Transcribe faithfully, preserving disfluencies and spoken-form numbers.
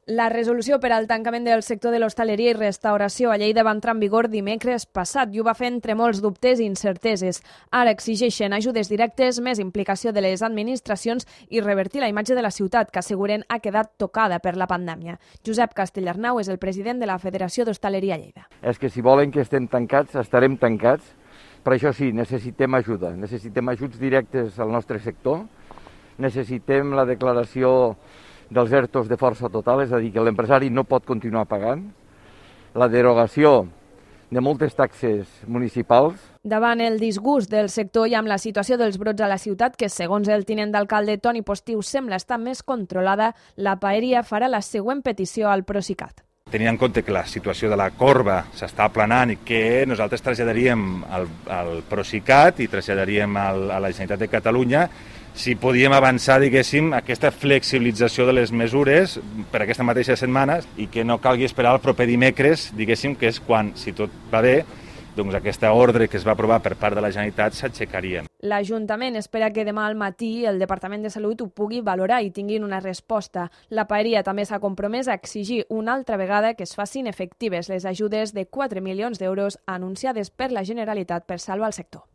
La resolució per al tancament del sector de l'hostaleria i restauració a Lleida va entrar en vigor dimecres passat i ho va fer entre molts dubtes i incerteses. Ara exigeixen ajudes directes, més implicació de les administracions i revertir la imatge de la ciutat, que asseguren ha quedat tocada per la pandèmia. Josep Castellarnau és el president de la Federació d'Hostaleria a Lleida. És que si volen que estem tancats, estarem tancats, però això sí, necessitem ajuda, necessitem ajuts directes al nostre sector, necessitem la declaració dels ERTOs de força total, és a dir, que l'empresari no pot continuar pagant, la derogació de moltes taxes municipals. Davant el disgust del sector i amb la situació dels brots a la ciutat, que segons el tinent d'alcalde Toni Postiu sembla estar més controlada, la Paeria farà la següent petició al Procicat. Tenint en compte que la situació de la corba s'està aplanant i que nosaltres traslladaríem al, al Procicat i traslladaríem al, a la Generalitat de Catalunya, si podíem avançar, diguéssim, aquesta flexibilització de les mesures per aquesta mateixa setmana i que no calgui esperar el proper dimecres, diguéssim, que és quan, si tot va bé, doncs aquesta ordre que es va aprovar per part de la Generalitat s'aixecaria. L'Ajuntament espera que demà al matí el Departament de Salut ho pugui valorar i tinguin una resposta. La Paeria també s'ha compromès a exigir una altra vegada que es facin efectives les ajudes de quatre milions d'euros anunciades per la Generalitat per salvar el sector.